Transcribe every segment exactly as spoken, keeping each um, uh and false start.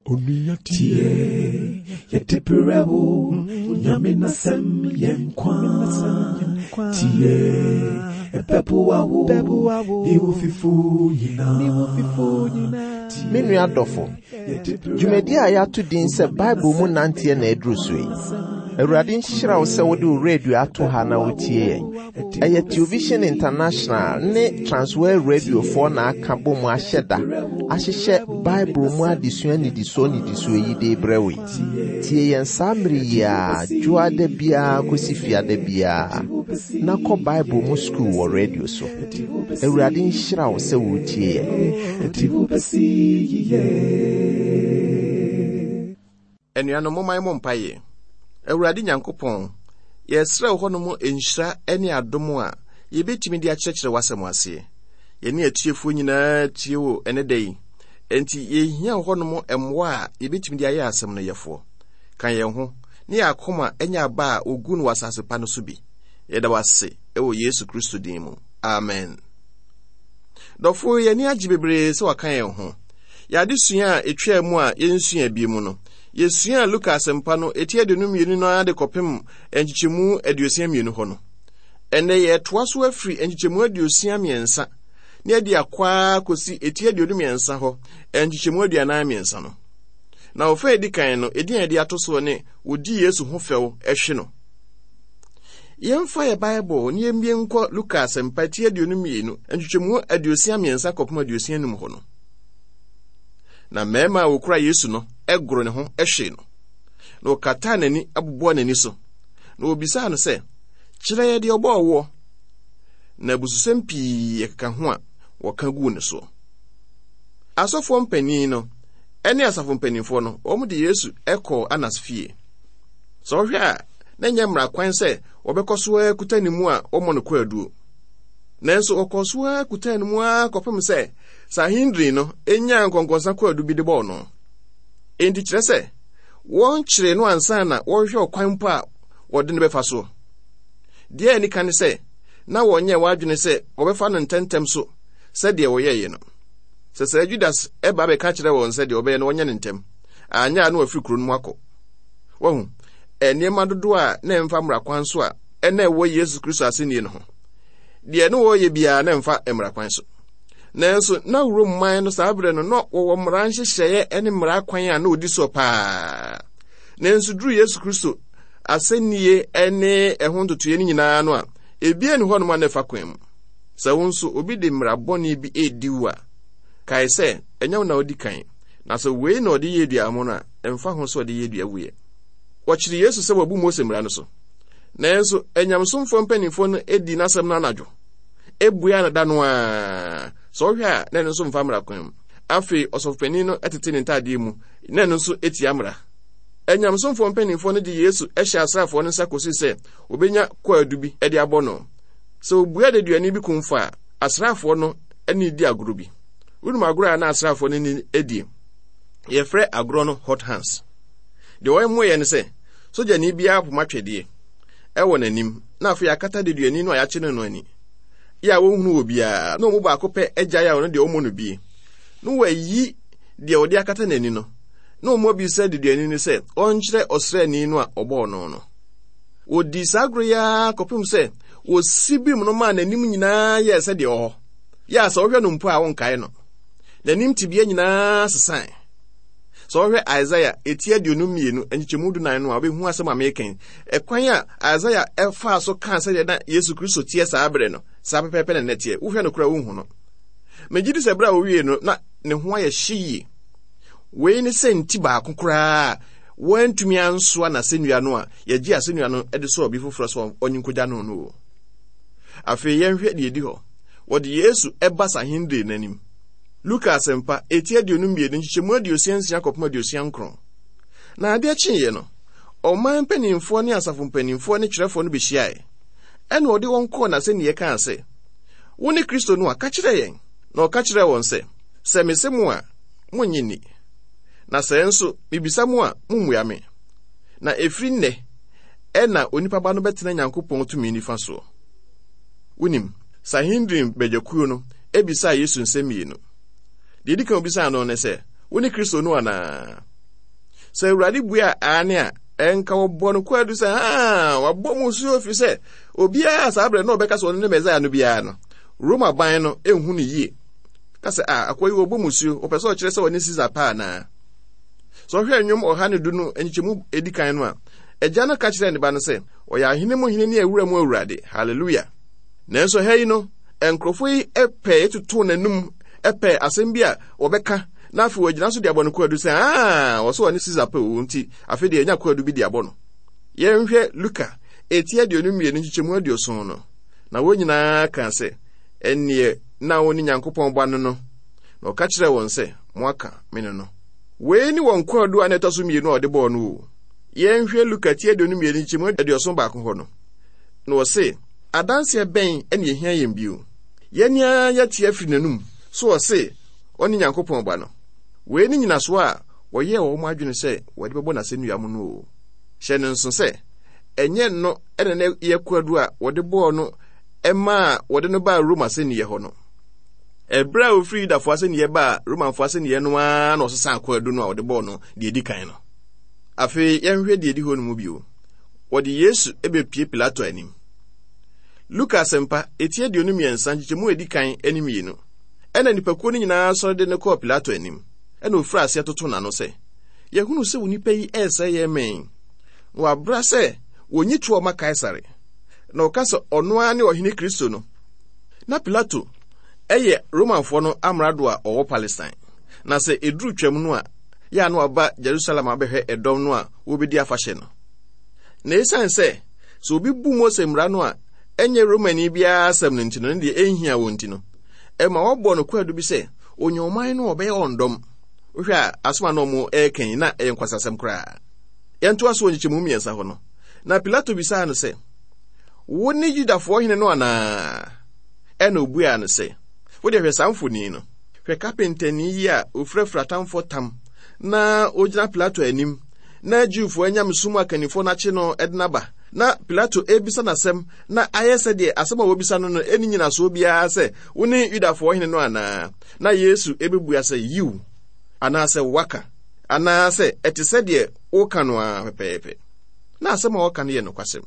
Onua tie, yɛde brɛ wo, Nyame n'asɛm yɛ nkwa. Tie, ɛbɛboa wo, ne wo fifo nyinaa. Me nua dɔfo, dwumadi a yɛato din sɛ Bible mu nanteɛ na aduru so yi. Awurade nhyira wo sɛ wode wo radio ato ha na wotie yɛn. Ɛyɛ Television International ne Transworld Radiofoɔ na aka bɔ mu ahyɛ da ahyehyɛ Bible mu adesua nnidisoɔ nnidisoɔ yi de brɛ wo yi. Tie yɛn saa mmere yi a dwoada biara kɔsi fiada biara na kɔ Bible mu sukuu wɔ radio so. Awurade nhyira wo sɛ wotie yɛn. Ɛde wo bɛsi yiye. Anuanom, momma yɛmmɔ mpaeɛ. Awurade Nyankopɔn, yɛsrɛ wo hɔnom nhyira ne adom a yɛbɛtumi de akyerɛkyerɛ w'asɛm aseɛ. Yɛne atiefoɔ nyinaa tie wo ɛne da yi. Enti yɛhia wo hɔnom mmoa a yɛbɛtumi de ayɛ asɛm no yɛfoɔ. Ka yɛn ho ne yɛn akoma nyɛ aba a wɔgu no wɔ asase pa no so bi. Yɛda wo ase wɔ Yesu Kristo din mu. Amen. Dɔfo, yɛn ani agye bebree sɛ waka yɛn ho. Yɛn adesua a ɛtwaa mu a yɛnsua bi mu no, yɛsuaa Luka asɛmpa no eti aduonu mmienu no ara de kɔpem nkyekyɛmu aduosia mmienu hɔ no. Ɛnnɛ yɛtoa so afiri nkyekyɛmu aduosia mmiɛnsa ne adi akɔ ara kɔsi eti aduonu mmiɛnsa hɔ nkyekyɛmu aduanan mmiɛnsa no. Na ɔfa edi kan no, edin a yɛde ato soɔ ne wɔdi Yesu ho fɛw hwe no. Yɛmfa yɛ Bible ne yɛmmie nkɔ Luka asɛmpa ti aduonu mmienu nkyekyɛmu aduosia mmiɛnsa kɔpem aduosia num hɔ no. Na mmarima a wɔkura Yesu no goro ne ho hwee no, na wɔkataa n'ani abobɔɔ n'ani so, na wɔbisaa no sɛ, kyerɛ yɛ deɛ ɔbɔɔ woɔ. Na abususɛm pii ɛkeka ho a wɔka guu ne soɔ. Asɔfoɔ mpanin no ne asafo mpanimfoɔ no, wɔn de Yesu kɔɔ Anas fie. Sɛ wohwɛ a, na ɛnyɛ mmara kwan sɛ wɔbɛkɔ so ara kuta ne mu a wɔmmɔ no kwaduo. Nanso wɔkɔɔ so ara kuta ne mu ara kɔpem sɛ Sanhedrin no nyaa nkɔnkɔnsa kwaadu bi de bɔɔ no. Enti kyerɛ sɛ wɔnkyeree no ansa na wɔrehwɛ ɔkwan mpo a wɔde no bɛfa soɔ. Deɛ ani ka ne sɛ na wɔnyɛɛ wɔadwene sɛ wɔbɛfa no ntɛmntɛm so sɛdeɛ wɔyɛeɛ no. Sɛ saa Judas ɛba bɛka kyerɛ wɔn sɛ deɛ ɔbɛyɛ no wɔnyɛ no ntɛm, anyɛ a na wafiri kuro no mu akɔ. Wahu, nneɛma dodoɔ a na ɛmfa mmara kwan so a ɛna ɛwɔ Yesu Kristo asɛnnie no ho. Deɛ ne wɔreyɛ biara na ɛmfa mmara kwan so. Nanso na Rome man no saa berɛ no na wɔwɔ mmara nhyehyɛeɛ ne mmara kwan a na wɔdi soɔ paa. Nanso duru Yesu Kristo asɛnnie ne ɛho ntotoeɛ no nyinaa no a, ebia ne hɔnom a na ɛfa kwan mu. Sɛ wo nso obi de mmara bɔne bi redi wo a, kae sɛ ɛnyɛ wo na wodi kan. Na sɛ wei na ɔde yɛ dua mo no a, ɛmfa ho sɛ ɔde yɛ dua wuyɛ. Wɔkyere Yesu sɛ wabu Mose mmara no so. Nanso anyamesomfoɔ mpanimfoɔ no di n'asɛm no anadwo. Ebua no da no ara. Sɛ ɔhwɛ a, na ɛno nso mfa mmara kwan mu. Afei ɔsɔfopanin no tete ne ntadeɛ mu, na ɛno nso tia mmara. Anyamesomfoɔ mpanimfoɔ no de Yesu hyɛ asraafoɔ no nsa kɔsi sɛ wɔbɛnya kwaadu bi de abɔ no. Sɛ obua deduani bi kumfa a, asraafoɔ no ne di agorɔ bi. Wonim agorɔ a na asraafoɔ no ne die? Yɛfrɛ agorɔ no hot hands. Deɛ wɔyɛ ne sɛ, sogyani biara poma twɛdeɛ ɛwɔ n'anim, na afei akata deduani no a yɛakye no no ani. Yɛ a wɔnhunu wɔ biara, na wɔn mu baako pɛ agyae a ɔno deɛ ɔmmɔ no bie. Na wɔayi deɛ wɔde akata n'ani no, na wɔn abisa deduani no sɛ ɔnkyerɛ ɔsraani no a ɔbɔɔ no no. Wɔdii saa agorɔ yi ara kɔpem sɛ wɔsi bim no maa n'anim nyinaa yɛɛ sɛdeɛ ɔwɔ hɔ. Yɛ a sɛ wohwɛ no mpo a wonkae no. N'anim tebea nyinaa sesae. Sɛ wohwɛ Isaiah eti aduonu mmienu nkyekyɛmu dunan no a, wobɛhu asɛm a meka yi. Ɛkwan a Isaiah ɛfaa so kaa sɛdeɛ na Yesu Kristo teɛ saa berɛ no, saa pɛpɛɛpɛ na nnɛ teɛ. Wohwɛ no koraa wonhu no. Megye di sɛ berɛ a wɔwie no, na ne ho ayɛ hye yie. Wei ne sɛ nti baako koraa a wɔantumi ansoa n'asɛnnua no a yɛgye asɛnnua no de sɔɔ obi foforɔ sɛ ɔnye nkogya no no o. Afei yɛnhwɛ deɛ ɛdi hɔ. Wɔde Yesu ɛba Sanhedrin n'anim. Luka asɛmpa eti aduonu mmienu nkyekyɛmu aduosia nsia kɔpem aduosia nkron. Na adeɛ kyeeɛ no, ɔman mpanimfoɔ ne asafo mpanimfoɔ ne twerɛfoɔ no bɛhyiaeɛ. Ɛna ɔde wɔn kɔɔ n'asɛnniɛ kaa sɛ, wo ne Kristo no a, ka kyerɛ yɛn. Na ɔka kyerɛɛ wɔn sɛ, sɛ mese mo a, monnye nni. Na sɛ nso mebisa mo a, mommua me. Na ɛfiri nnɛ, ɛna onipa ba no bɛtena Nyankopɔn tumi nifa soɔ. Wonim, Sanhedrin badwakuo no ebisaa Yesu nsɛm mmienu. Deɛ edi kan obisaa no ne sɛ, wo ne Kristo no anaa? Sɛ Awurade bue a aane a, ɛnka wɔbɔ no kwaadu sɛ, haa, wabɔ mu suo firi sɛ obiara saa berɛ na ɔbɛka sɛ ɔno ne Mesaia no biara no, Roma ban no ɛnhu no yie. Ka sɛ, a akoa yi wɔbɔ mu suo, wɔpɛ sɛ ɔkyerɛ sɛ ɔne Caesar paa anaa? Sɛ ɔhwɛ nnwom ɔha ne du no nkyekyɛmu edi kan no a, agya no ka kyerɛɛ ne ba no sɛ, ɔyɛ ahene mu hene ne awura mu awurade. Hallelujah. Nanso ha yi no, nkurɔfoɔ yi pɛ totoo n'anum pɛ asɛm bi a wɔbɛka na afei wɔagyina so de abɔ no kwaadu sɛ, aa, wɔsɛ ɔne Caesar pɛ o, nti afei deɛ ɛnya kwaadu bi de abɔ no. Yɛnhwɛ Luka eti aduonu mmienu nkyekyɛmu aduoson no. Na wɔn nyinaa kaa sɛ, ɛnneɛ na wo ne Nyankopɔn ba no no. Na ɔka kyerɛɛ wɔn sɛ, moaka me no no. Wei ne wɔn kwaadu a na ɛtɔ so mmienu a ɔde bɔɔ no o. Yɛnhwɛ Luka ti aduonu mmienu nkyekyɛmu aduɔson baako hɔ no. Na ɔse, adanseɛ bɛn na ɛhia yɛn bio? Yɛn ara yɛte afiri n'anum so ɔse ɔne Nyankopɔn ba no. Wei ne nyinasoɔ a wɔyɛɛ wɔn adwene sɛ wɔde bɛbɔ n'asɛnnua mu no o. Hyɛ no nso sɛ, ɛnyɛ no ɛna na yɛ kwaadu a wɔde bɔɔ no ɛmaa wɔde no baa Roma asɛnniiɛ hɔ no. Ɛberɛ a ofiri Yudafoɔ asɛnniiɛ baa Romanfoɔ asɛnniiɛ no ara na ɔsesaa kwaadu no a wɔde bɔɔ no deɛ edi kan no. Afei yɛnhwɛ deɛ edi hɔ no mu bio. Wɔde Yesu bɛpie Pilato anim. Luka asɛmpa eti aduonu mmiɛnsa nkyekyɛmu edi kan ne mmienu. Ɛna nnipakuo no nyinaa sɔre de no kɔɔ Pilato anim. Ɛna ofiri aseɛ toto n'ano sɛ, yɛhunu sɛ onipa yi ɛresɛe yɛn mɛn. Na wabra sɛ wɔnyi toɔ ma Kaesare. Na ɔka sɛ ɔno ara ne ɔhene Kristo no. Na Pilato ɛyɛ Romanfoɔ no amrado a ɔwɔ Palestine. Na sɛ ɛduru twam no a, yɛ a na waba Jerusalem abɛhwɛ ɛdɔm no a wɔbɛdi afahyɛ no. Na ɛsiane sɛ sɛ obi bu Mose mmara no a ɛnyɛ Romani biara asɛm no nti no, ne deɛ ɛnhia wɔn nti no, ɛma wɔbɔ no kwaadu bi sɛ onya ɔman no ɔbɛyɛ wɔn dɔm. Wohwɛ a asɛm a na ɔmo ɛreka yi na ɛyɛ nkwasasɛm koraa. Yɛntoa so wɔ nkyekyɛmu mmiɛnsa hɔ no. Na Pilato bisaa no sɛ, wo ne Yudafoɔ hene no anaa? Ɛna obuaa no sɛ, wode hwɛ saa mfoni no. Hwɛ kapentani yi a ofurafura atamfoɔ tam na ogyina Pilato anim na Jewfoɔ anyamesom akannifoɔ no akye no de n'aba. Na Pilato ebisa n'asɛm na ayɛ sɛdeɛ asɛm a wɔbisa no no ɛni nyinasoɔ biara sɛ wo ne Yudafoɔ hene no anaa? Na Yesu ebebua sɛ yiw, anaasɛ waka, anaasɛ ɛte sɛdeɛ woka no ara pɛpɛɛpɛ. Na asɛm a wɔka no yɛ nokwasɛm.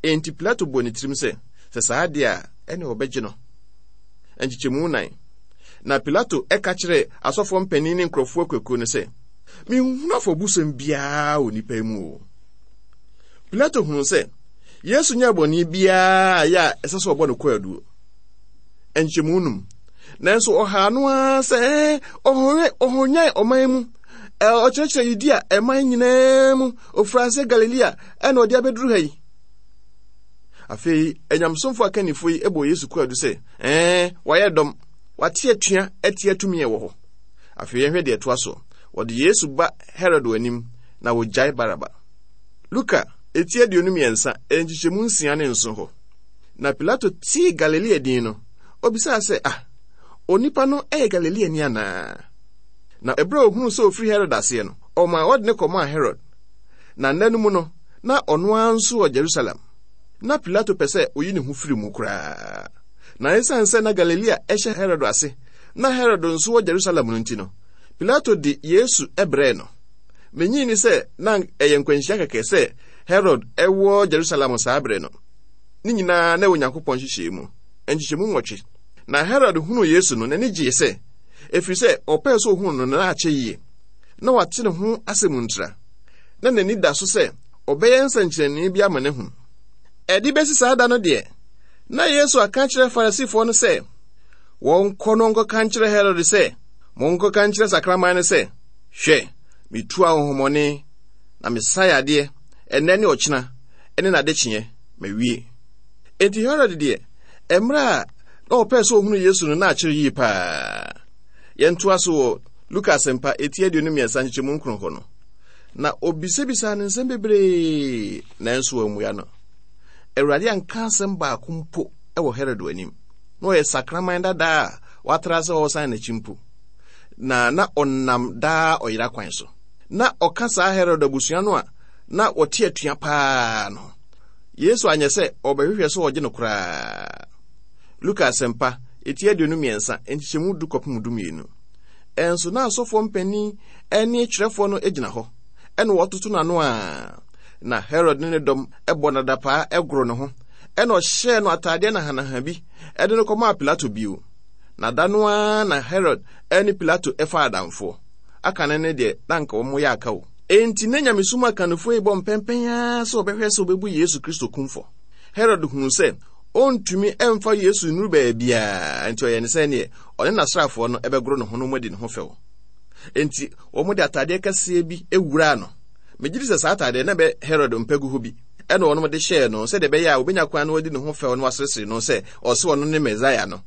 Enti Pilato bɔ ne tirim sɛ, sɛ saa deɛ a, ɛne ɔbɛgye no. Nkyekyɛmu nan. Na Pilato ɛka kyerɛɛ asɔfoɔ mpanin ne nkurɔfoɔ akuakuo no sɛ, menhunu afɔbusɛm biara wɔ nipa yi mu o. Pilato hunu sɛ Yesu nyɛɛ bɔne biara yɛ a ɛsɛ sɛ ɔbɔ no kwaadu. Nkyekyɛmu num. Nanso ɔhaa no ara sɛ ɔhɔnyan ɔman mu, ɔkyerɛkyerɛ Yudea ɛman nyinaa mu, ofiri ase Galilea ɛna ɔde abɛduru ha yi. Afei anyamsomfo akannifo yi bɔ Yesu kwaadu sɛ, ɛɛ, wayɛ dɔm, wate atua atia tumi a ɛwɔ hɔ. Afei yɛnhwɛ deɛ ɛtoa so. Wɔde Yesu ba Herod anim na wɔgyae Baraba. Luka eti aduonu mmiɛnsa nkyekyɛmu nsia ne nson hɔ. Na Pilato tee Galilea din no, obisaa sɛ, ah, onipa no yɛ Galileani anaa? Na ɛberɛ a ohunuu sɛ ofiri Herod aseɛ no, ɔmaa wɔde ne kɔmaa Herod. Na nna no mu no, na ɔno ara nso wɔ Jerusalem. Na Pilato pɛ sɛ oyi ne ho firi mu koraa. Na esiane sɛ na Galilea hyɛ Herod ase, na Herod nso wɔ Jerusalem no nti no, Pilato de Yesu brɛɛ no. Minnye nni sɛ na ɛyɛ nkwanhyia kɛkɛ sɛ Herod wɔ Jerusalem saa bere no. Ne nyinaa na ɛwɔ Onyankopɔn nhyehyɛe mu. Nkyekyɛmu nwɔtwe. Na Herod hunuu Yesu no, n'ani gyee sɛ, ɛfiri sɛ ɔpɛɛ sɛ ohunu no na akyɛ yie. Na wate ne ho asɛm ntira. Na n'ani da so sɛ ɔbɛyɛ nsɛnkyerɛnne bi ama no ahu. Ɛde bɛsi saa da no deɛ, na Yesu aka akyerɛ Farisifoɔ no sɛ, wɔnkɔ no nkɔka nkyerɛ Herod sɛ, monkɔka nkyerɛ sakraman no sɛ, hwɛ, metu ahonhommɔne na mesa yadeɛ ɛnnɛ ne ɔkyena ne n'adekyeɛ mawie. Enti Herod deɛ, mmerɛ a na ɔpɛɛ sɛ ɔhunu Yesu no na akyerɛ yie paa. Yɛntoa so wɔ Luka asɛmpa eti aduonu mmiɛnsa nkyekyɛmu nkron hɔ no. Na obisabisaa no nsɛm bebree, nanso wammua no. Awurade anka asɛm baako mpo wɔ Herod anim. Na ɔyɛ sakraman dadaa a watra sɛ ɔresan n'akyi mpo. Na na ɔnam daa ɔyera kwan so. Na ɔka saa Herod abusua no a na wɔte atua paa no. Yesu anyɛ sɛ ɔbɛhwehwɛ sɛ ɔgye no koraa. Luka asɛmpa, eti aduonu mmiɛnsa, nkyekyɛmu du kɔpem du mmienu. Ɛnso na asɔfoɔ mpanin ne twerɛfoɔ no gyina hɔ. Ɛna wɔtoto n'ano a na Herod ne ne dɔm ɛbɔ nadapaa ɛgoro ne ho. Ɛna ɔhyɛɛ no ataadeɛ nahanaha bi ɛde no kɔmaa Pilato bio. Na da no ara na Herod ɛne Pilato ɛfa adamfoɔ. Aka ne ne deɛ na anka wɔn yɛ aka o. Enti ne nyamesom akannifoɔ yi bɔ mpɛmpɛn ara sɛ ɔbɛhwɛ sɛ ɔbɛbu Yesu Kristo kumfɔ. Herod hunu sɛ ɔntumi ɛmfa Yesu nnuru baabiara, nti ɔyɛ ne sɛ neɛ ɔne n'asraafoɔ no ɛbɛgoro ne ho no mu adi ne ho fɛw. Enti wɔn de ataadeɛ kɛseɛ bi ewuraa no. Megye di sɛ saa ataadeɛ na bɛ Herod mpɛ gu hɔ bi. Ɛna wɔn de hyɛɛ no sɛdeɛ ɛbɛyɛ a obenya kwan no adi ne ho fɛw no waseresere no sɛ ɔsɛ ɔno ne Mesaia no.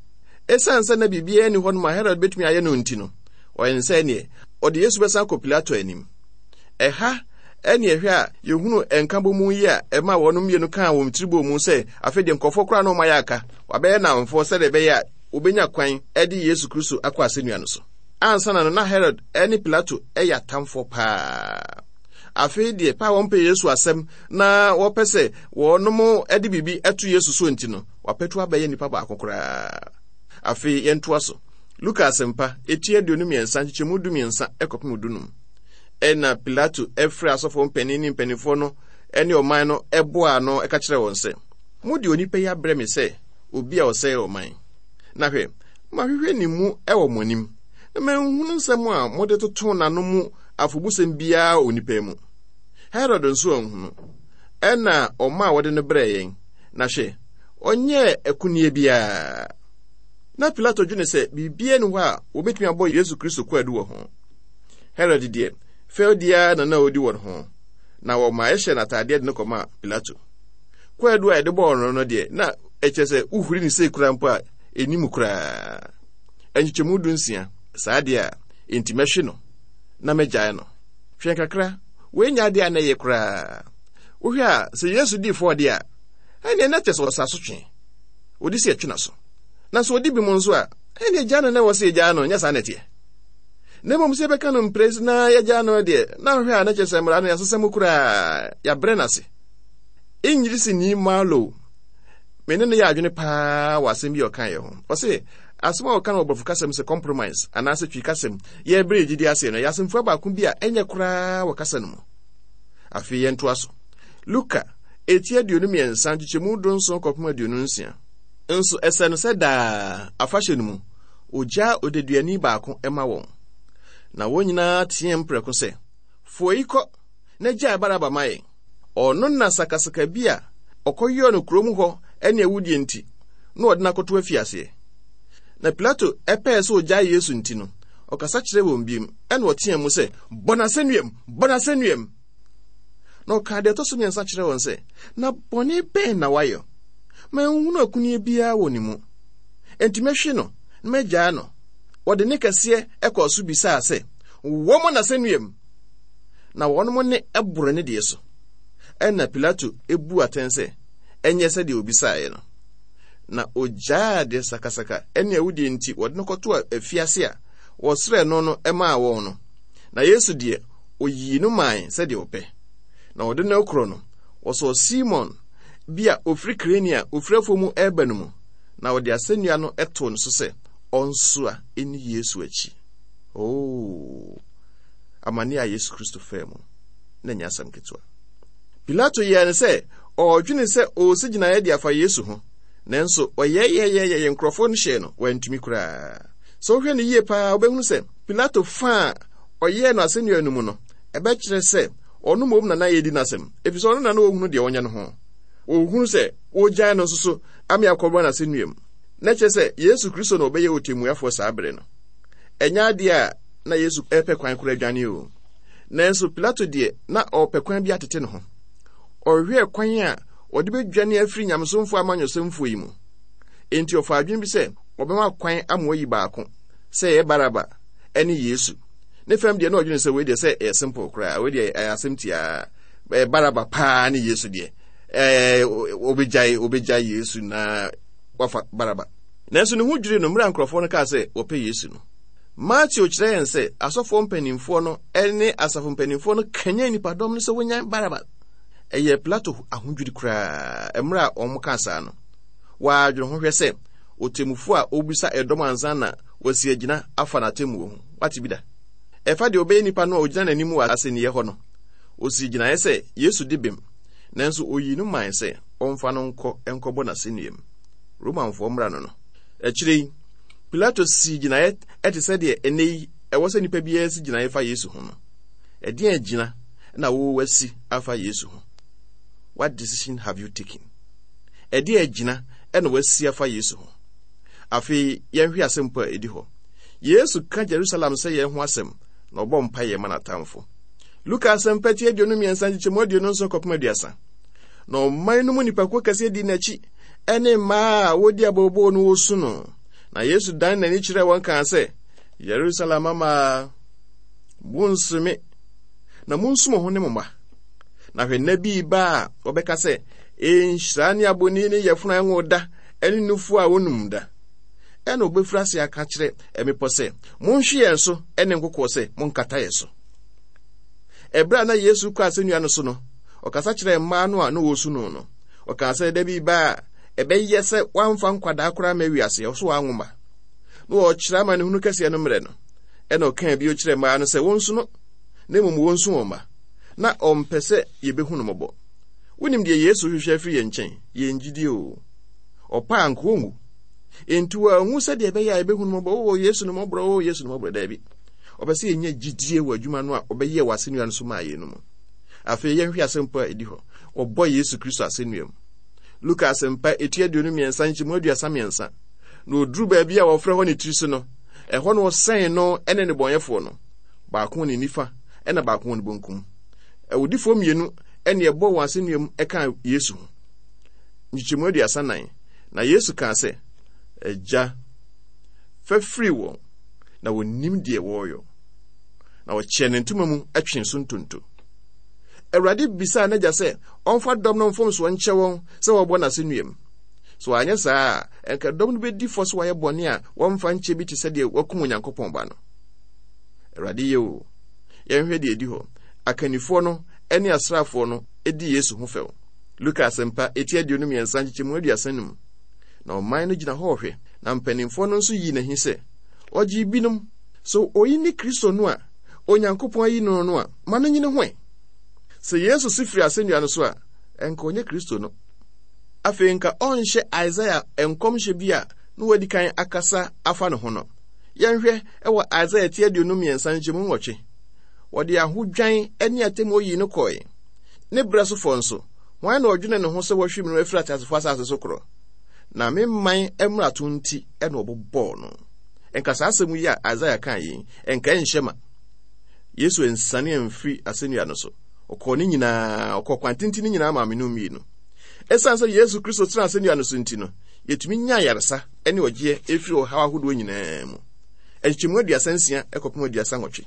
Esiane sɛ na biribiara nni hɔ no ma Herod betumi ayɛ no nti no, ɔyɛ ne sɛ neɛ ɔde Yesu bɛsan kɔ Pilato anim. Ɛha ɛne ɛhwɛ a yɛhunu nkabom yi a ɛma wɔn mmienu kaa wɔn tiri bɔ mu sɛ afei deɛ nkurɔfoɔ koraa na wɔn ayɛ aka wabɛyɛ nnamfoɔ sɛdeɛ ɛbɛyɛ a wɔbɛnya kwan de Yesu Kristo akɔ asɛnnua no so. Ansa na no na Herod ne Pilato yɛ atamfoɔ paa. Afei deɛ paa wɔmpɛ Yesu asɛm na wɔpɛ sɛ wɔnom de biribi to Yesu so nti no, wapɛtu abɛyɛ nipa baako koraa. Afei yɛntoa so. Luka asɛmpa, eti aduonu mmiɛnsa, nkyekyɛmu du mmiɛnsa kɔpem dunum. Ɛna Pilato ɛfrɛ asɔfoɔ mpanin ne mpanimfoɔ no ne ɔman no ɛboaa ano ɛka kyerɛ wɔn sɛ, mode onipa yi abrɛ me sɛ obi a ɔsɛe ɔman. Na hwɛ, mahwehwɛ ne mu ɛwɔ mo anim, na manhunu nsɛm a mode toto n'ano mu afobusɛm biara wɔ onipa mu. Herod nso anhunu. Ɛna ɔma a wɔde no brɛɛ yɛn. Na hwɛ, ɔnyɛɛ akunneɛ biara. Na Pilato dwene sɛ biribiara nni hɔ a wɔbɛtumi abɔ Yesu Kristo kwaadu wɔ ho. Herod deɛ, fɛwdi ara na na ɔdi wɔn ho, na wɔma ɛhyɛ n'ataadeɛ de no kɔmaa Pilato. Kwaadu a yɛde bɔɔ no no deɛ, na ɛkyerɛ sɛ wohuri ne sei koraa mpo a ɛnim koraa. Nkyekyɛmu du nsia, saa deɛ a, enti mɛhwe no na mɛgyae no. Hwɛ kakra, wei nyɛ adeɛ a na ɛyɛ koraa. Wohwɛ a, sɛ Yesu dii fɔɔ deɛ a, ɛnneɛ na kyerɛ sɛ ɔsa so twe. Ɔdi sɛ ɛtwe n'aso. Na sɛ ɔdi bi mu nso a, ɛnneɛ gyaa no na ɛwɔ sɛ yɛgyaa no, nyɛ saa na ɛteɛ. Na mmom sɛ yɛbɛka no mprɛsi na yɛgyaa no deɛ, na wohwɛ a na kyerɛ sɛ mmara no yɛasesa mu koraa, yɛabrɛ no ase. Ingirisini Marlowe, me ne no yɛ adwene paa wɔ asɛm bi a ɔkaeɛ ho. Ɔse, asɛm a ɔka no wɔ borɔfo kasɛm sɛ compromise anaasɛ twi kasɛm yɛbrɛ gyidi aseɛ no, ɛyɛ asɛmfua baako bi a ɛnyɛ koraa wɔ kasa no mu. Afei yɛntoa so. Luka, eti aduonu mmiɛnsa, nkyekyɛmu dunson kɔpem aduonu nsia. Nso ɛsɛ no sɛ daa afahyɛ no mu, ogyaa odeduani baako ma wɔn. Na wɔn nyinaa teɛm prɛko sɛ, Foa yi kɔ na gyae Baraba ma yɛn. Ɔno na sakasaka bi a ɔkɔyɔɔ no kurom hɔ ne awudie nti, na wɔde no akɔto afiaseɛ. Na Pilato ɛpɛɛ sɛ ogyae Yesu nti no, ɔkasa kyerɛɛ wɔn bio, ɛna ɔteɛɛ mu sɛ, Bɔ no asɛnnuam! Bɔ no asɛnnuam! Na ɔkaa deɛ ɛtɔ so mmiɛnsa kyerɛɛ wɔn sɛ, Na bɔne bɛn na wayɛ? Manhunu akunneɛ biara wɔ ne mu. Enti mɛhwe no na magyaa no. Wɔde ne kɛseɛ kɔɔ so bisaa sɛ, Wɔmmɔ no asɛnnuam! Na wɔn ne boro ne deɛ so. Ɛnna Pilato buu atɛn sɛ, ɛnyɛ sɛdeɛ obisaeɛ no. Na ogyaa deɛ sakasaka ne awudie nti wɔde no kɔtoo afiase a wɔsrɛɛ no no maa wɔn no. Na Yesu deɛ, oyii no mae sɛdeɛ ɔpɛ. Na wɔde no korɔ no, wɔsɔɔ Simon bi a ofiri Kirene a ofiri afuo mu reba no mu, na wɔde asɛnnua no too no so sɛ ɔnsoa nni Yesu akyi. Oh, amane a Yesu Kristo faa mu na ɛnyɛ asɛm ketewa. Pilato yɛɛ no sɛ ɔredwene sɛ ɔresi gyinaeɛ de afa Yesu ho, nanso ɔyɛyɛyɛyɛ nkurɔfoɔ no hyɛɛ no, wantumi koraa. Sɛ wohwɛ no yie paa, wobɛhunu sɛ Pilato fa a ɔyɛɛ no asɛnnua no mu no, ɛbɛkyerɛ sɛ ɔno mmom na na yɛdi n'asɛm, ɛfiri sɛ ɔno na na ɔhunu deɛ ɔnyɛ no ho. Ɔhunu sɛ wɔgyae no nso so ame akɔbɔ no asɛnnua mu. Na kyerɛ sɛ Yesu Kristo na ɔbɛyɛ ɔtemmuafoɔ saa bere no. Ɛnyɛ adeɛ a na Yesu ɛpɛ kwan koraa adwane o. Nanso Pilato deɛ na ɔpɛ kwan bi atete ne ho. Ɔhwehwɛɛ kwan a ɔde bɛdwane afiri nyamesomfoɔ amanyɔsɛmfoɔ yi mu. Enti ɔfaa adwene bi sɛ ɔbɛma kwan ama wayi baako, sɛ ɛyɛ Baraba ne Yesu. Ne fam deɛ na ɔdwene sɛ wei deɛ sɛ ɛyɛ simple koraa, wei deɛ ɛyɛ asɛm tiaa. Ɛyɛ Baraba paa ne Yesu deɛ. Ɛɛ ɔbɛgyae ɔbɛgyae Yesu na wafa Baraba. Nanso ne ho dwirii no mmerɛ a nkurɔfoɔ no kaa sɛ wɔpɛ Yesu no. Mateo kyerɛ yɛn sɛ asɔfoɔ mpanimfoɔ no ne asafo mpanimfoɔ no kanyan nnipadɔm no sɛ wɔnyan Baraba. Ɛyɛɛ Pilato ahodwiri koraa mmerɛ a wɔn kaa saa no. Wɔadwene ho hwɛ sɛ ɔtemmufoɔ a ɔrebisa ɛdɔm ansa na wasi agyina afa n'atemmuo ho. Wate bi da? Ɛfa deɛ ɔbɛyɛ nipa no a ɔgyina n'anim wɔ asɛnniiɛ hɔ no. Ɔsii gyinaeɛ sɛ Yesu di bem, nanso ɔyii no mae sɛ ɔmfa no nkɔ nkɔbɔ n'asɛnnuam. Romanfoɔ mmara no no. Akyire yi, Pilato sii gyinaeɛ te sɛ deɛ ɛnnɛ yi ɛwɔ sɛ nnipa biara si gyinaeɛ fa Yesu ho no. Ɛdeɛn agyina na wowɔ afa Yesu ho? What decision have you taken? Ɛdeɛn agyina na wasi afa Yesu ho? Afei yɛnhwɛ asɛmpo a ɛdi hɔ. Yesu ka Jerusalem sɛ yɛn ho asɛm na ɔbɔ mpaeɛ ma n'atamfo. Luka asɛmpa ti aduonu mmiɛnsa nkyekyɛmu aduonu nson kɔpem aduasa. Na ɔman no mu nnipakuo kɛseɛ dii n'akyi ɛne mmaa a wodi abooboo no wɔsu no. Na Yesu dan n'ani kyerɛɛ wɔn kaa sɛ, Yerusalem mmaa, monsu me, na monsu mo ho ne mo mma. Na hwɛ nna bi ba a wɔbɛka sɛ, Nhyira ne abɔni ne yafunu a ɛnwo da ne nufu a wonum da. Ɛna wɔbɛfiri ase aka kyerɛ mmepɔ sɛ, Monhwe yɛn so, ne nkokoɔ sɛ, Monkata yɛn so. Ɛberɛ a na Yesu kɔ asɛnnua no so no, ɔkasa kyerɛɛ mmaa no a na wɔresu no no. Ɔkaa sɛ da bi ba a ɛbɛyɛ sɛ wɔamfa nkwadaa koraa ma wiase, ɔso wɔanwo mma. Na wɔkyerɛ amanehunu kɛseɛ no mmerɛ no. Ɛna ɔkaa bio kyerɛɛ mmaa no sɛ wɔnsu no, na mmom wɔnsu wɔn mma. Na ɔmpɛ sɛ yɛbɛhu no mmɔbɔ. Wonim deɛ Yesu hwehwɛ afiri yɛn nkyɛn? Yɛn gyidie o. Ɔpa a nka ɔnwu. Enti wanwu sɛdeɛ ɛbɛyɛ a yɛbɛhu no mmɔbɔ. O Yesu no mmɔborɔ, o Yesu no mmɔborɔ, daabi. Ɔpɛ sɛ yɛnya gyidie wɔ adwuma no a ɔbɛyɛ wɔ asɛnnua no so maa yɛn no mu. Afei yɛnhwɛ asɛmpo a ɛdi hɔ. Wɔbɔ Yesu Kristo asɛnnua mu. Luka asɛmpa eti aduonu mmiɛnsa nkyɛmu aduasa mmiɛnsa. Na ɔduru baabi a wɔfrɛ hɔ ne tiri so no, ɛhɔ na wɔsɛn no ne nnebɔneyɛfoɔ no, baako wɔ ne nifa ɛna baako wɔ ne bonkum. Awudifoɔ mmienu ɛne ɛbɔ wɔn asɛnnua mu ɛka Yesu ho. Nkyekyɛmu aduasa nan. Na Yesu kaa sɛ, Agya, fa firi wɔn, na wɔnnim deɛ wɔreyɔ. Na ɔkyɛɛ ne ntoma mu twee so ntonto. Awurade bisaa n'agya sɛ ɔmfa dɔm no mfomsoɔ nkyɛ wɔn sɛ wɔbɔ n'asɛnnua mu. Sɛ wɔanyɛ saa a, ɛnka dɔm no bɛdi fɔ sɛ wɔayɛ bɔne a wɔmfa nkyɛ bi te sɛ deɛ wɔakum Onyankopɔn ba no. Awurade yɛ o. Yɛnhwɛ deɛ ɛdi hɔ. Akannifoɔ no ne asraafoɔ no di Yesu ho fɛw. Luka asɛmpa eti aduonu mmiɛnsa nkyekyɛmu aduasa num. Na ɔman no gyina hɔ rehwɛ, na mpanimfoɔ no nso yii n'ahi sɛ, ɔgyee binom. So oyi ne Kristo no a Onyankopɔn ayi no no a, ma no nyini ho ɛ. Sɛ Yesu si firi asɛnnua no so a, ɛnka ɔnyɛ Kristo no. Afei nka ɔnhyɛ Isaia nkɔmhyɛ bi a na wadi kan akasa afa ne ho no. Yɛnhwɛ wɔ Isaia ti aduonu mmiɛnsa nkyɛmu nwɔtwe. Wɔde ahodwan ne atemmuo yii no kɔe. Ne berɛ sofoɔ nso, hwan na ɔdwene ne ho sɛ wɔahwim no afiri ateasefoɔ asase so korɔ? Na me man mmarato nti na wɔbobɔɔ no. Nka saa asɛm yi a Isaia kaa yi, nka ɛnhyɛ ma. Yesu ansiane amfiri asɛnnua no so. Ɔkɔɔ ne nyinaa, ɔkɔɔ kwan tenten no nyinaa maa me no mmienu. Ɛsiane sɛ Yesu Kristo tena asɛnnua no so nti no, yɛtumi nya ayaresa ne ɔgyeɛ ɛfiri ɔhaw ahodoɔ nyinaa mu. Nkyekyɛmu aduasa nsia kɔpem aduasa nwɔtwe.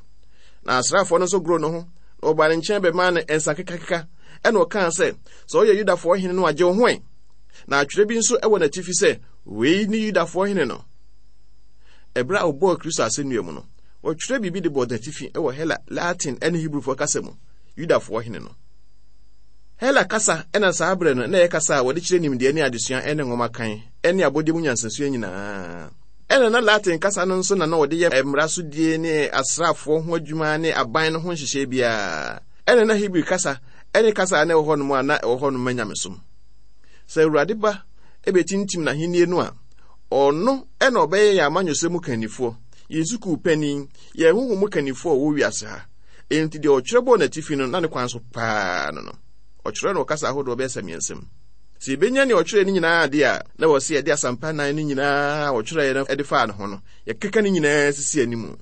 Na asraafoɔ no nso goroo ne ho, na wɔbaa ne nkyɛn bɛmaa no nsa kekakeka, ɛna ɔkaa sɛ, Sɛ ɔyɛ Yudafoɔ hene no a, gye wo ho ɛ. Na atwerɛ bi nso wɔ n'atifi sɛ, Wei ne Yudafoɔ hene no. Ɛberɛ a wɔbɔɔ Kristo asɛnnua mu no, wɔtwerɛ biribi de bɔɔ n'atifi wɔ Hela, Latin ne Hebrifoɔ kasa mu, Yudafoɔ hene no. Hela kasa na saa berɛ no na ɛyɛ kasa a wɔde kyerɛ nimdeɛ ne adesua ne nwoma kan ne abɔdeɛ mu nyansasua nyinaa. Ɛna na Latin kasa no nso na na wɔde yɛ mmara so die ne asraafoɔ ho adwuma ne aban no ho nhyehyɛe biara. Ɛna na Hebri kasa ne kasa a na ɛwɔ hɔnom a na ɛwɔ hɔnom ma nyamesom. Sɛ Awurade ba bɛtintim n'ahennie no a, ɔno na ɔbɛyɛ yɛn amanyɔsɛm mu kannifoɔ, yɛn sukuu panin, yɛn honhom mu kannifoɔ a ɔwɔ wiase ha. Enti deɛ ɔtwerɛ bɔɔ n'atifi no, na ne kwan so paa no no. Ɔtwerɛ no wɔ kasa ahodoɔ bɛyɛ sɛ mmiɛnsa mu. Sɛ yɛbɛnya nea ɔtwerɛɛ no nyinaa deɛ a, na ɛwɔ sɛ yɛde asɛmpa nnan no nyinaa a ɔtwerɛeɛ no de faa ne ho no, yɛkeka ne nyinaa sisi anim.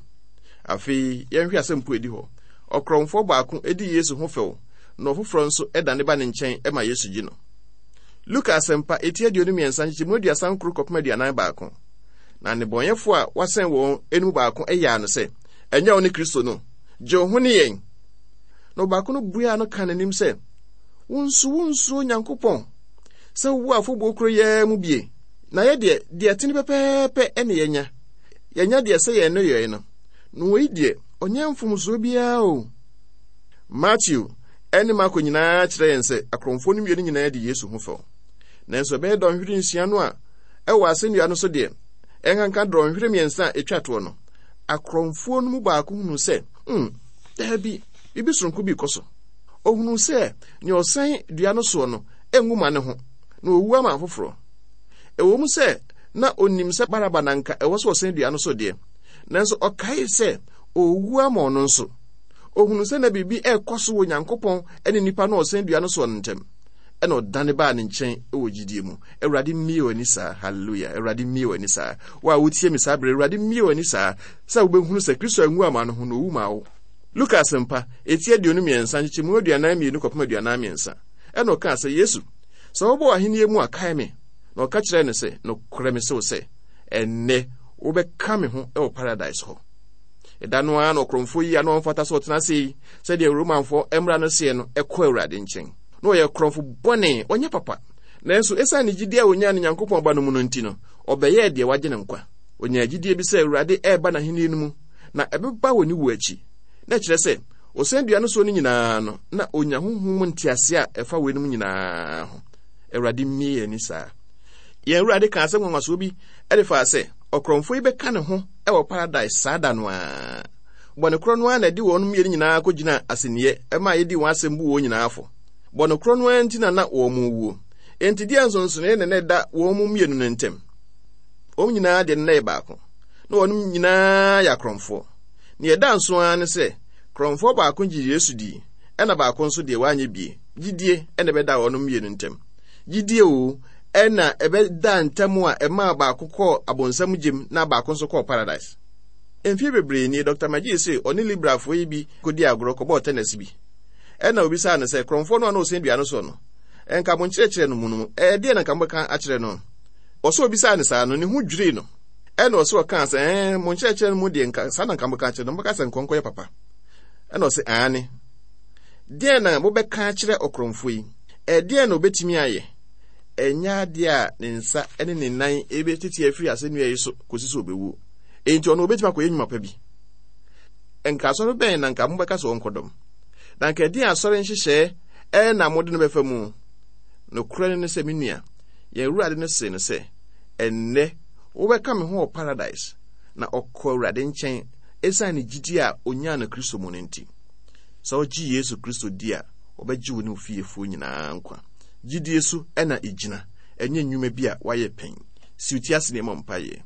Afei, yɛnhwɛ asɛmpo a ɛdi hɔ. Ɔkorɔmfoɔ baako di Yesu ho fɛw, na ɔfoforɔ nso dane ba ne nkyɛn ma Yesu gye no. Luka asɛmpa eti aduonu mmiɛnsa nkyekyɛmu aduasa nkron kɔpem aduanan baako. Na nnebɔneyɛfoɔ a wɔasɛn wɔn no mu baako yaa no sɛ, Ɛnyɛ wo ne Kristo no? Gye wo ho ne yɛn. Na ɔbaako no buaa no kaa n'anim sɛ, Wo nso wonsuro Onyankopɔn sɛ wowɔ afɔbuo koro yi ara mu bie? Na yɛ deɛ, deɛ ɛtene pɛpɛɛpɛ ne yɛanya. Yɛanya deɛ ɛsɛ yɛn nneyɔe no. Na wei deɛ, ɔnyɛ mfomsoɔ biara o. Mateo ne Marko nyinaa kyerɛ yɛn sɛ akorɔmfoɔ no mmienu nyinaa di Yesu ho fɛw. Nanso ɛbɛyɛ dɔnhwere nsia no a ɛwɔ asɛnnua no so deɛ, ɛnkanka dɔnhwere mmiɛnsa a ɛtwa toɔ no, akorɔmfoɔ no mu baako hunuu sɛ, hmm, daabi, biribi soronko bi rekɔ so. Ɔhunuu sɛ nea ɔsɛn dua no soɔ no nwu ma ne ho, na ɔwu ama afoforɔ. Ɛwɔ mu sɛ na onim sɛ Baraba na nka ɛwɔ sɛ ɔsɛn dua no so deɛ, nanso ɔkae sɛ ɔrewu ama ɔno nso. Ɔhunuu sɛ na biribi rekɔ so wɔ Nyankopɔn ne nipa no a ɔsɛn dua no soɔ no ntam. Ɛna ɔdane baa ne nkyɛn wɔ gyidie mu. Awurade mmie w'ani saa. Hallelujah. Awurade mmie w'ani saa. Wo a wotie me saa berɛ, Awurade mmie w'ani saa sɛ wobɛhunu sɛ Kristo anwu ama no ho na ɔwu maa wo. Luka Asɛmpa, eti aduonu mmiɛnsa, nkyekyɛmu aduanan mmienu kɔpem aduanan mmiɛnsa. Ɛna ɔkaa sɛ, Yesu, sɛ wobɔ w'ahennie mu a, kae me. Na ɔka kyerɛɛ no sɛ, Nokorɛ mese wo sɛ, ɛnnɛ wobɛka me ho wɔ Paradise hɔ. Ɛda no ara na ɔkorɔmfoɔ yi a na ɔmfata sɛ ɔtena ase yi, sɛdeɛ Romanfoɔ mmara no seɛ no, kɔɔ Awurade nkyɛn. Na ɔyɛ korɔmfo bɔne, ɔnyɛ papa. Nanso esiane ne gyidie a ɔnyaa no Nyankopɔn Ba no mu no nti no, ɔbɛyɛɛ deɛ wagye no nkwa. Ɔnyaa gyidie bi sɛ Awurade reba n'ahennie no mu, na ɛbɛba wɔ ne wuo akyi. Na ɛkyerɛ sɛ, ɔsɛn dua no soɔ no nyinaa no, na ɔnya honhom mu nteaseɛ a ɛfa weinom nyinaa ho. Awurade mmie yɛn ani saa. Yɛn Awurade kaa asɛm nwanwasoɔ bi de faa sɛ ɔkorɔmfoɔ yi bɛka ne ho wɔ Paradise saa da no ara. Bɔne korɔ no ara na ɛde wɔn mmienu nyinaa kɔgyinaa asɛnniiɛ maa yɛdii wɔn asɛm buu wɔn nyinaa fɔ. Bɔne korɔ no ara nti na na wɔn rewuo. Enti deɛn nsonsonoeɛ na na ɛda wɔn mmienu no ntam? Wɔn nyinaa deɛ no na ɛyɛ baako. Na wɔn nyinaa yɛ akorɔmfoɔ. Nea ɛda nso ara ne sɛ, korɔmfoɔ baako gyee Yesu dii, ɛna baako nso deɛ wanyɛ bie. Gyidie na ɛbɛdaa wɔn mmienu ntam. Gyidie o, ɛna ɛbɛdaa ntam a ɛmaa baako kɔɔ abonsam gyem na baako nso kɔɔ paradise. Mfeɛ bebree nie, Dɔkta McGee se ɔne Liberalfoɔ yi bi kɔdii agorɔ kɔbɔɔ tɛnɛs bi. Ɛna obisaa no sɛ, Korɔmfoɔ no a na ɔsɛn dua no soɔ no, nka mo nkyerɛkyerɛ no mu no, ɛdeɛn na nka mobɛka akyerɛ no? Ɔsɛ obisaa no saa no, ne ho dwirii no. Ɛna ɔsɛ ɔkaa sɛ, ɛɛ, mo nkyerɛkyerɛ no mu deɛ nka saa na nka mobɛka akyerɛ no, mobɛka sɛ nkɔnkɔ yɛ papa. Ɛna ɔsɛ, aane. Deɛn na mobɛka akyerɛ ɔkorɔmfoɔ yi? Ɛdeɛn na ɔbɛtumi ayɛ? Ɛnyɛ adeɛ a ne nsa ne ne nan bɛtete afiri asɛnnua yi so kɔsi sɛ ɔbɛwuo. Enti ɔno ɔbɛtumi akɔyɛ nnwuma pa bi. Nka asɔre bɛn na nka mobɛka sɛ ɔnkɔdɔm? Na nka ɛdeɛn asɔre nhyehyɛɛ na mode no bɛfa mu? Nokorɛ no ne sɛ, me nua, yɛn Awurade no see no sɛ, Ɛnnɛ wobɛka me ho wɔ Paradise. Na ɔkɔɔ Awurade nkyɛn ɛsiane ne gyidie a ɔnyaa no Kristo mu no nti. Sɛ wogye Yesu Kristo di a, wɔbɛgye wo ne wo fiefoɔ nyinaa nkwa. Gyidie so na ɛgyina, ɛnyɛ nnwuma bi a woayɛ pɛn. Si wo ti ase na yɛmmɔ mpaeɛ.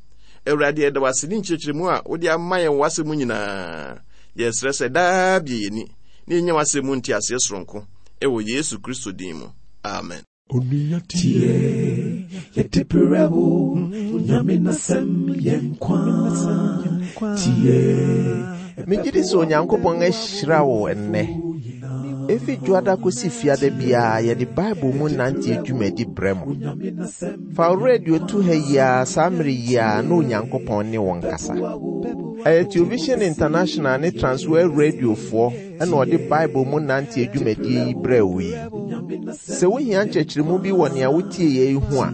Awurade, yɛda wo ase ne nkyerɛkyerɛmu a wode ama yɛn wɔ w'asɛm mu nyinaa. Yɛsrɛ sɛ daa bue yɛn ani na yɛnya w'asɛm mu nteaseɛ soronko wɔ Yesu Kristo din mu. Amen. Onua tie, yɛde brɛ wo, Onyame n'asɛm yɛ nkwa. Tie. Megye di sɛ Onyankopɔn ahyira wo ɛnnɛ. Efi Dwoada kosi Fiada biara yɛde Bible mu nante dwumadi brɛ mo. Fa wo radio to ha yi ara saa mmere yi ara na Onyankopɔn ne wo nkasa. Ɛyɛ Television International ne Transworld Radiofoɔ na ɔde Bible mu nante dwumadie yi brɛɛ wo yi. Sɛ wohia nkyerɛkyerɛmu bi wɔ nea wotie yɛ yi ho a,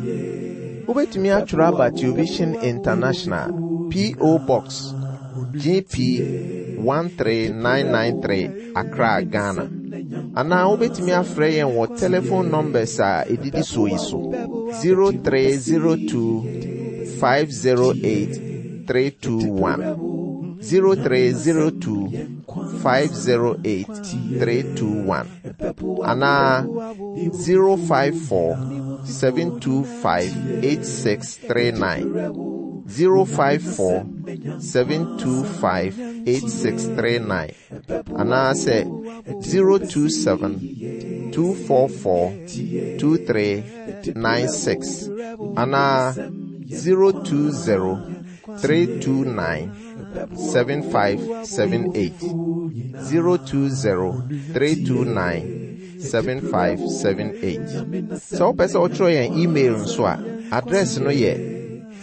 wobɛtumi atwerɛ aba Television International, P O. Box G P one three nine nine three, Accra, Ghana. Anaa wobɛtumi afrɛ yɛn wɔ telephone numbers a ɛdidi soɔ yi so: zero three zero two five zero eight three two one, zero three zero two five zero eight three two one, anaa zero five four seven two five eight six three nine, zero five four seven two five eight six three nine, anaasɛ zero two seven two four four two three nine six, anaa zero two zero three two nine seven five seven eight, zero two zero three two nine seven five seven eight. Sɛ wopɛ sɛ wotwerɛ yɛn email nso a, address no yɛ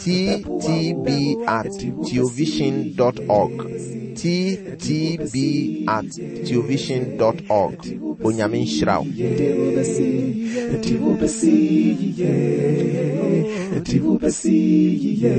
T T B at theovision dot org, T T B at theovision dot org. Onyame nhyira wo. Yɛde wo bɛsi yie, yɛde wo bɛsi yie.